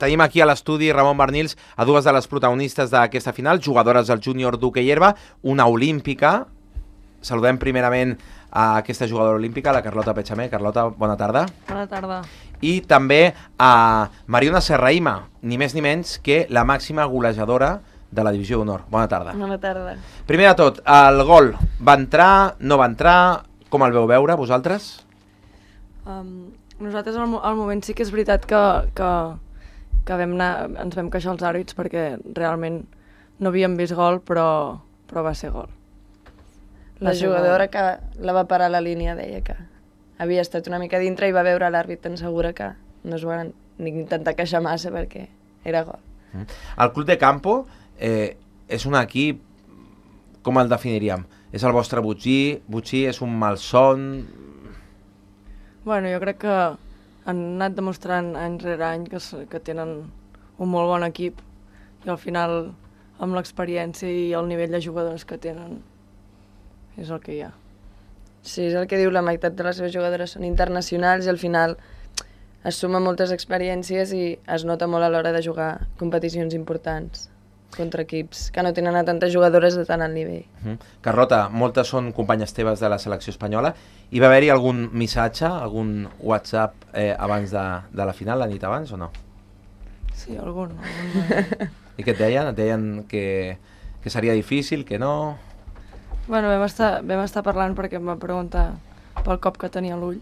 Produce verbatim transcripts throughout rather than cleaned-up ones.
Tenim aquí a l'estudi Ramon Barnils a dues de les protagonistes d'aquesta final, jugadores del júnior d'hoquei herba, una olímpica. Saludem primerament a aquesta jugadora olímpica, la Carlota Pechamé. Carlota, bona tarda. Bona tarda. I també a Mariona Serrahima, ni més ni menys que la màxima golejadora de la divisió d'honor. Bona tarda. Bona tarda. Primer de tot, el gol va entrar, no va entrar, com el veu veure vosaltres? Um, nosaltres al, al moment sí que és veritat que, que, que vam anar, ens vam queixar els àrbits perquè realment no havíem vist gol, però, però va ser gol. La jugadora que la va parar a la línia deia que havia estat una mica dintre i va veure l'àrbit tan segura que no es van ni intentar queixar massa perquè era gol. El Club de Campo eh, és un equip, com el definiríem? És el vostre botxí? Botxí és un malson? Bueno, jo crec que han anat demostrant any rere any que, que tenen un molt bon equip i al final amb l'experiència i el nivell de jugadors que tenen és el que hi ha. Sí, és el que diu, la meitat de les seves jugadores són internacionals i al final es sumen moltes experiències i es nota molt a l'hora de jugar competicions importants contra equips que no tenen a tantes jugadores de tant alt nivell. Uh -huh. Carlota, moltes són companyes teves de la selecció espanyola. Hi va haver-hi algun missatge, algun WhatsApp eh, abans de, de la final, la nit abans o no? Sí, algun. algun... I què et deien? Et deien que, que seria difícil, que no? Bueno, vam estar, vam estar parlant perquè em va preguntar pel cop que tenia l'ull.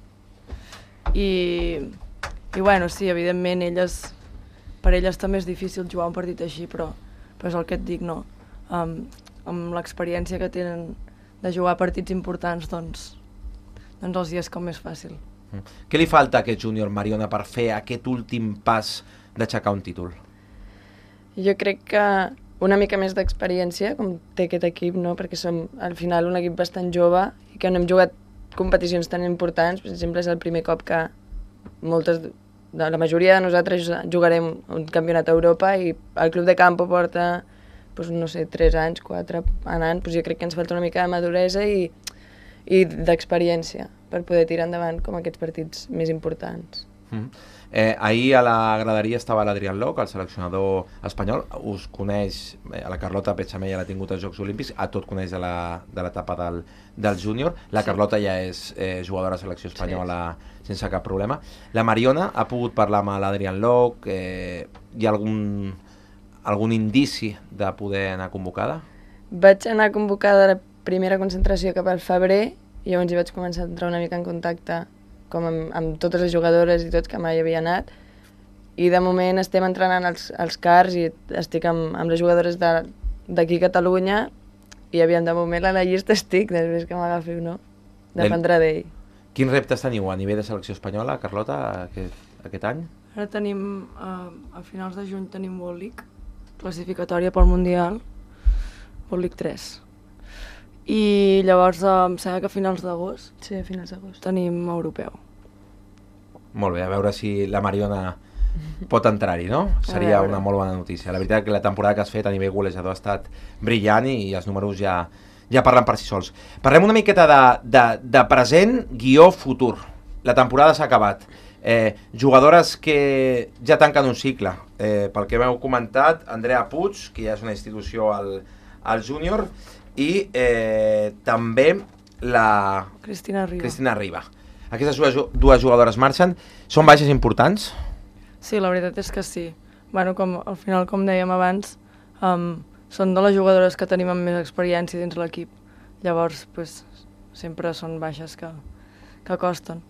I, i bueno, sí, evidentment, elles, per elles també és difícil jugar un partit així, però, però és el que et dic, no? Um, amb l'experiència que tenen de jugar partits importants, doncs, doncs els dies com més fàcil. Mm. Què li falta a aquest júnior, Mariona, per fer aquest últim pas d'aixecar un títol? Jo crec que una mica més d'experiència, com té aquest equip, no? Perquè som al final un equip bastant jove i que no hem jugat competicions tan importants. Per exemple, és el primer cop que moltes, de la majoria de nosaltres jugarem un campionat a Europa i el Club de Campo porta, doncs, no sé, tres anys, quatre anant. Doncs jo crec que ens falta una mica de maduresa i, i d'experiència per poder tirar endavant com aquests partits més importants. Mm. Eh, ahir a la graderia estava l'Adrián Loc, el seleccionador espanyol. Us coneix, eh, a la Carlota Pechamé ja l'ha tingut als Jocs Olímpics, a tot coneix de l'etapa de del, del júnior. La sí. Carlota ja és eh, jugadora de selecció espanyola sí. sense cap problema. La Mariona ha pogut parlar amb l'Adrián Loc, eh, hi ha algun, algun indici de poder anar convocada? Vaig anar convocada a la primera concentració cap al febrer i llavors hi vaig començar a entrar una mica en contacte com amb, amb totes les jugadores i tots que mai havia anat, i de moment estem entrenant els, els cars i estic amb, amb les jugadores d'aquí a Catalunya i aviam, de moment a la llista estic, després que m'agafi o no, dependrà d'ell. Quins reptes teniu a nivell de selecció espanyola, Carlota, aquest, aquest any? Ara tenim, uh, a finals de juny tenim World League, classificatòria pel Mundial, World League tres. I llavors, em sembla que a finals d'agost sí, a finals d'agost tenim europeu. Molt bé, a veure si la Mariona pot entrar-hi, no? Seria una molt bona notícia. La veritat que la temporada que has fet a nivell golejador ha estat brillant i els números ja, ja parlen per si sols. Parlem una miqueta de, de, de present, guió, futur. La temporada s'ha acabat. Eh, jugadores que ja tanquen un cicle. Eh, pel que m'heu comentat, Andrea Puig, que ja és una institució al, al júnior, i eh, també la Cristina Riba. Cristina Riba. Aquestes dues, dues jugadores marxen. Són baixes importants? Sí, la veritat és que sí. Bueno, com, al final, com dèiem abans, um, són de les jugadores que tenim amb més experiència dins l'equip. Llavors, pues, sempre són baixes que, que costen.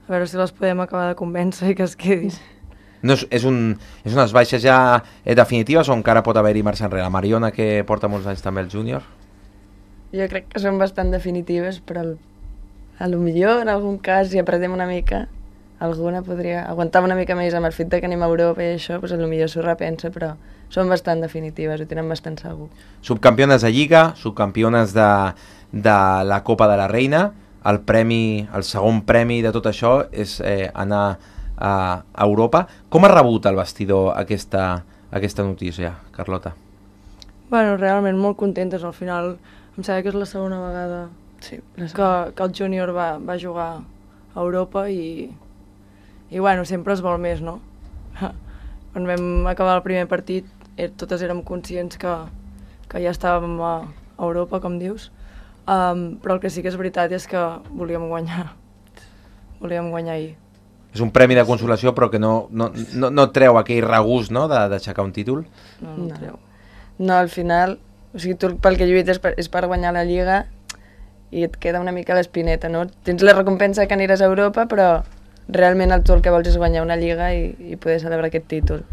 A veure si les podem acabar de convèncer i que es quedin. No, és, és, un, és unes baixes ja eh, definitives o encara pot haver-hi marxa enrere? La Mariona, que porta molts anys també al júnior? Jo crec que són bastant definitives, però el, a lo millor en algun cas, si apretem una mica, alguna podria aguantar una mica més amb el fet de que anem a Europa i això, doncs a lo millor s'ho repensa, però són bastant definitives, ho tenen bastant segur. Subcampiones de Lliga, subcampiones de, de la Copa de la Reina, el premi, el segon premi de tot això és eh, anar a, a Europa. Com ha rebut el vestidor aquesta, aquesta notícia, Carlota? Bueno, realment molt contentes. Al final em sembla que és la segona vegada sí, que, que el júnior va, va jugar a Europa i, i bueno, sempre es vol més, no? quan vam acabar el primer partit, eh, totes érem conscients que, que ja estàvem a Europa, com dius, um, però el que sí que és veritat és que volíem guanyar, volíem guanyar ahir. És un premi de consolació, però que no, no, no, no treu aquell regust, no?, d'aixecar un títol? No, no, no treu. No, al final, o sigui, tu pel que lluites per, és per guanyar la Lliga i et queda una mica l'espineta, no? Tens la recompensa que aniràs a Europa, però realment el, tu el que vols és guanyar una Lliga i, i poder celebrar aquest títol.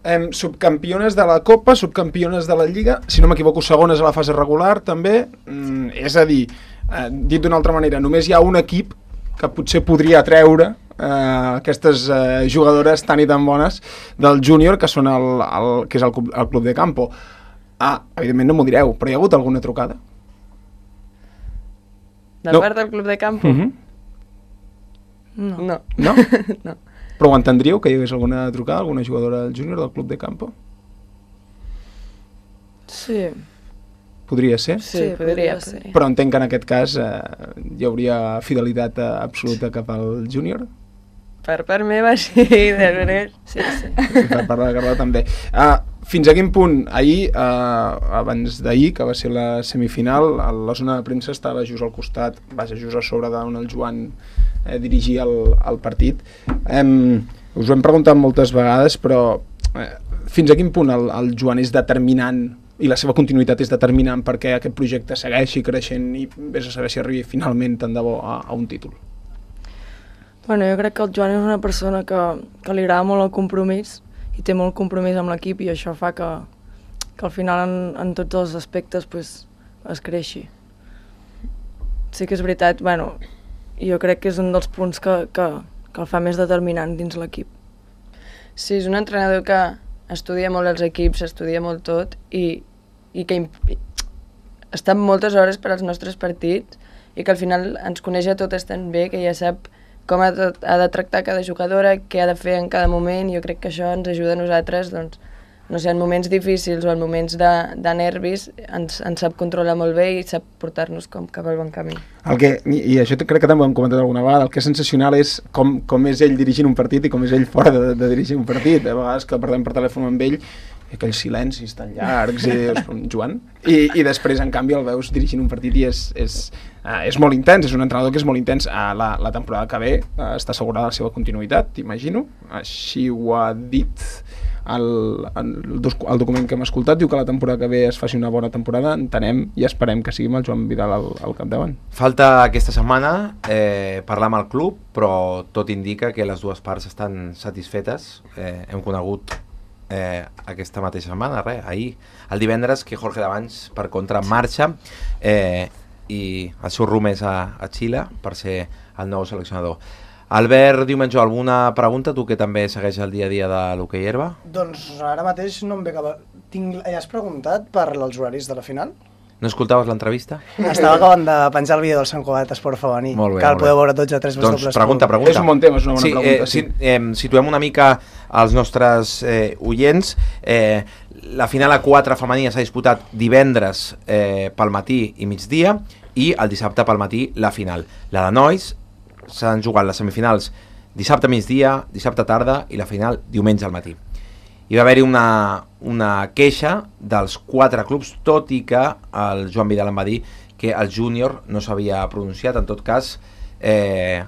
Eh, subcampiones de la Copa, subcampiones de la Lliga, si no m'equivoco, segones a la fase regular, també. Mm, és a dir, eh, dit d'una altra manera, només hi ha un equip que potser podria treure eh, aquestes eh, jugadores tan i tan bones del júnior, que són el, el, que és el, el Club de Campo. Ah, evidentment no m'ho direu, però hi ha hagut alguna trucada? De No. part del Club de Campo? Uh-huh. No. No. No? No. Però ho entendríeu, que hi hagués alguna trucada, alguna jugadora del júnior del Club de Campo? Sí, Podria ser? Sí, Sí, podria, podria ser. podria. Però entenc que en aquest cas eh, hi hauria fidelitat eh, absoluta cap al júnior? Per part meva, sí, de veres. sí, sí. I per part de la Carla també. Uh, fins a quin punt? Ahir, uh, abans d'ahir, que va ser la semifinal, a la zona de premsa estava just al costat, vaja, just a sobre d'on el Joan eh, dirigia el, el partit. Um, us ho hem preguntat moltes vegades, però eh, fins a quin punt el, el Joan és determinant i la seva continuïtat és determinant perquè aquest projecte segueixi creixent i vés a saber si arribi finalment tant de bo a, a un títol? Bueno, jo crec que el Joan és una persona que, que li agrada molt el compromís i té molt compromís amb l'equip i això fa que, que al final en, en tots els aspectes pues, es creixi. Sí que és veritat, bueno, jo crec que és un dels punts que, que, que el fa més determinant dins l'equip. Sí, és un entrenador que estudia molt els equips, estudia molt tot i, i que imp... està moltes hores per als nostres partits i que al final ens coneix a totes tan bé que ja sap com ha de, ha de tractar cada jugadora, què ha de fer en cada moment, i jo crec que això ens ajuda a nosaltres, doncs, no sé, en moments difícils o en moments de, de nervis, ens, ens sap controlar molt bé i sap portar-nos com cap al bon camí. El que, i, i això crec que també ho hem comentat alguna vegada, el que és sensacional és com, com és ell dirigint un partit i com és ell fora de, de dirigir un partit. A vegades que parlem per telèfon amb ell, i aquells silencis tan llargs, i dius, Joan, i, i després en canvi el veus dirigint un partit i és, és, uh, és molt intens, és un entrenador que és molt intens. Uh, la, la temporada que ve uh, està assegurada la seva continuïtat, t'imagino, així ho ha dit el, el, el document que hem escoltat, diu que la temporada que ve es faci una bona temporada, entenem i esperem que sigui amb el Joan Vidal al, al capdavant. Falta aquesta setmana eh, parlar amb el club, però tot indica que les dues parts estan satisfetes. Eh, hem conegut eh, aquesta mateixa setmana, res, ahir, el divendres, que Jorge Davants, per contra, marxa eh, i el seu rumb és a, a Xile per ser el nou seleccionador. Albert Diumenge, alguna pregunta, tu que també segueix el dia a dia de l'hoquei herba? Doncs ara mateix no em ve cap... Tinc... Ja has preguntat per els horaris de la final? No escoltaves l'entrevista? Estava acabant de penjar el vídeo del Sant Cugat Esport Femení, Molt bé, que el molt podeu bé. veure tots a tres Doncs pregunta, pregunta. És un bon tema, és una bona sí, pregunta. Eh, sí. Eh, situem una mica als nostres eh, oients. Eh, la final a quatre femenina s'ha disputat divendres eh, pel matí i migdia i el dissabte pel matí la final. La de nois s'han jugat les semifinals dissabte migdia, dissabte tarda i la final diumenge al matí. Hi va haver-hi una, una queixa dels quatre clubs, tot i que el Joan Vidal em va dir que el júnior no s'havia pronunciat. En tot cas, eh...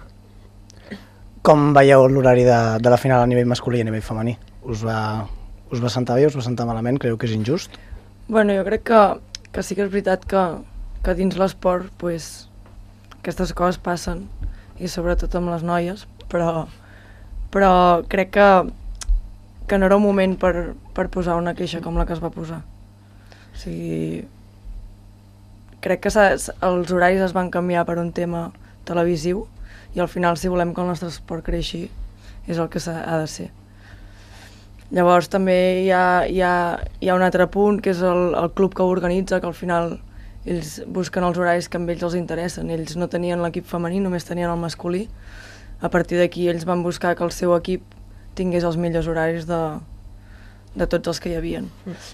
Com veieu l'horari de, de la final a nivell masculí i a nivell femení? Us va, us va sentar bé, us va sentar malament? Creieu que és injust? Bueno, jo crec que, que sí que és veritat que, que dins l'esport pues, aquestes coses passen, i sobretot amb les noies, però, però crec que, que no era un moment per, per posar una queixa com la que es va posar. O sigui, crec que els horaris es van canviar per un tema televisiu i al final, si volem que el nostre esport creixi, és el que ha de ser. Llavors també hi ha, hi ha, hi ha un altre punt, que és el, el club que ho organitza, que al final ells busquen els horaris que a ells els interessen. Ells no tenien l'equip femení, només tenien el masculí. A partir d'aquí ells van buscar que el seu equip tingués els millors horaris de, de tots els que hi havien.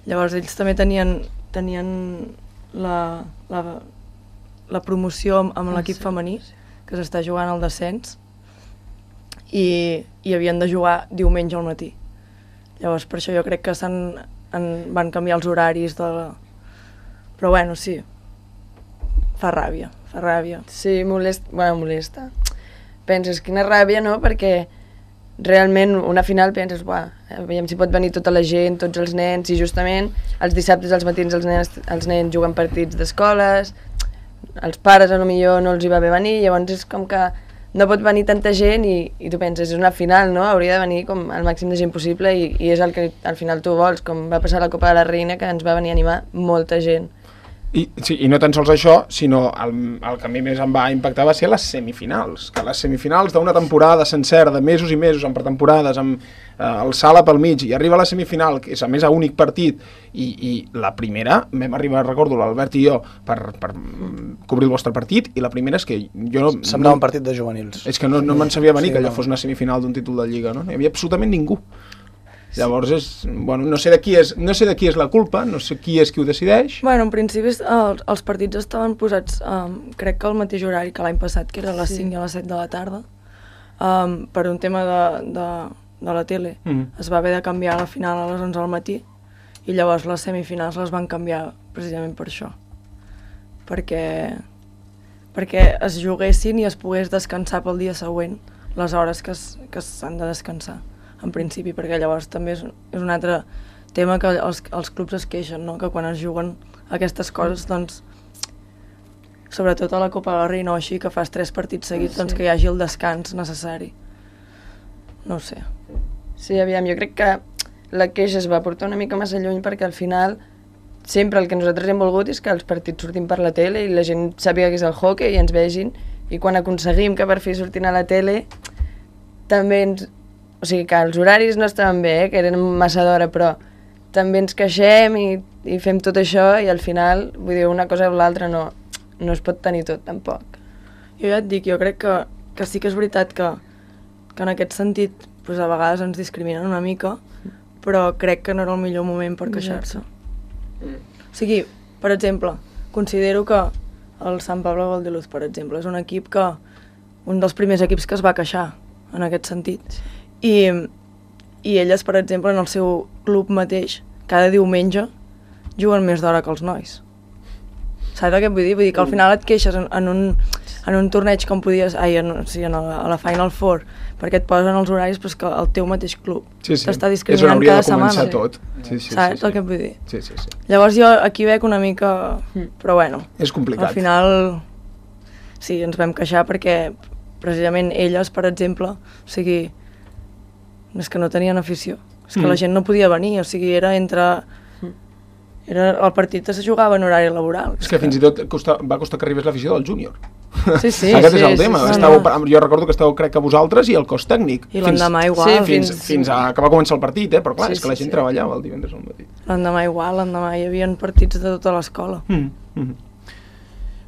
Llavors ells també tenien, tenien la, la, la promoció amb, amb l'equip femení, que s'està jugant al descens, i, i havien de jugar diumenge al matí. Llavors, per això jo crec que s'han, en, van canviar els horaris de la... Però bueno, sí, fa ràbia, fa ràbia. Sí, molesta, bueno, molesta. Penses, quina ràbia, no?, perquè realment una final penses, buah, aviam si pot venir tota la gent, tots els nens, i justament els dissabtes als matins els nens, els nens juguen partits d'escoles, els pares a lo millor no els hi va bé venir, llavors és com que no pot venir tanta gent i, i tu penses, és una final, no? Hauria de venir com el màxim de gent possible i, i és el que al final tu vols, com va passar a la Copa de la Reina, que ens va venir a animar molta gent. I, sí, i no tan sols això, sinó el, el que a mi més em va impactar va ser les semifinals, que les semifinals d'una temporada sencera, de mesos i mesos, amb pretemporades, amb eh, el sala pel mig, i arriba a la semifinal, que és a més a únic partit, i, i la primera, vam arribar, recordo, l'Albert i jo, per, per cobrir el vostre partit, i la primera és que jo... No, Semblava no, un partit de juvenils. És que no, no me'n sabia venir Sí, que allò no. fos una semifinal d'un títol de Lliga, no? No hi havia absolutament ningú. Llavors, és, bueno, no sé de qui és, no sé de qui és la culpa, no sé qui és qui ho decideix. Bueno, en principi els, els partits estaven posats, um, crec que al mateix horari que l'any passat, que era a les Sí. cinc i a les set de la tarda, um, per un tema de, de, de la tele. Mm. Es va haver de canviar la final a les onze del matí i llavors les semifinals les van canviar precisament per això. Perquè, perquè es juguessin i es pogués descansar pel dia següent les hores que es- que s'han de descansar, en principi, perquè llavors també és, és un altre tema que els, els clubs es queixen, no? Que quan es juguen aquestes coses, doncs, sobretot a la Copa de la Reina o així, que fas tres partits seguits, Sí. doncs que hi hagi el descans necessari. No ho sé. Sí, aviam, jo crec que la queixa es va portar una mica massa lluny perquè al final sempre el que nosaltres hem volgut és que els partits surtin per la tele i la gent sàpiga que és el hockey i ens vegin, i quan aconseguim que per fi surtin a la tele també ens... O sigui que els horaris no estaven bé, eh, que eren massa d'hora, però també ens queixem i, i fem tot això i al final, vull dir, una cosa o l'altra no, no es pot tenir tot tampoc. Jo ja et dic, jo crec que, que sí que és veritat que, que en aquest sentit pues, a vegades ens discriminen una mica, però crec que no era el millor moment per queixar-se. O sigui, per exemple, considero que el Sant Pablo Valdeluz, per exemple, és un equip que, un dels primers equips que es va queixar en aquest sentit. I, i elles, per exemple, en el seu club mateix, cada diumenge juguen més d'hora que els nois. Saps què vull dir? Vull dir que al final et queixes en, en, un, en un torneig com podies... Ai, en, sí, en la, a la Final Four, perquè et posen els horaris, però és que el teu mateix club Sí, sí. t'està És on discriminant hauria cada de començar setmana. tot. Sí, sí, Saps sí, sí. el que et vull dir? Sí, sí, sí. Llavors jo aquí veig una mica... Però bueno, És complicat. al final sí, ens vam queixar perquè precisament elles, per exemple, o sigui, és que no tenien afició. És que Mm. la gent no podia venir, o sigui, era entre... Era, el partit es jugava en horari laboral. És que fins i tot costa, va costar que arribés l'afició del júnior. Sí, sí. Aquest sí, és el sí, tema. sí, Estàveu, no. jo recordo que estàveu, crec que vosaltres, i el cos tècnic. I l'endemà igual. Sí, Fins, fins- fins a que va començar el partit, eh? Però clar, Sí, és que la sí, gent sí. treballava el divendres al matí. L'endemà igual, l'endemà hi havia partits de tota l'escola. Mm. Mm.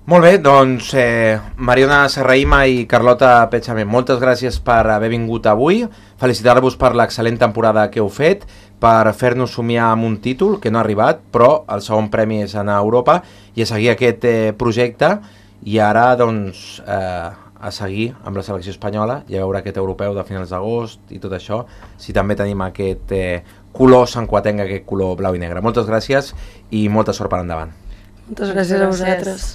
Molt bé, doncs eh, Mariona Serraima i Carlota Pechament, moltes gràcies per haver vingut avui, felicitar-vos per l'excel·lent temporada que heu fet, per fer-nos somiar amb un títol que no ha arribat, però el segon premi és anar a Europa i a seguir aquest eh, projecte, i ara doncs eh, a seguir amb la selecció espanyola i a veure aquest europeu de finals d'agost i tot això, si també tenim aquest eh, color santquatenc, aquest color blau i negre. Moltes gràcies i molta sort per endavant. Moltes gràcies a Gràcies. vosaltres.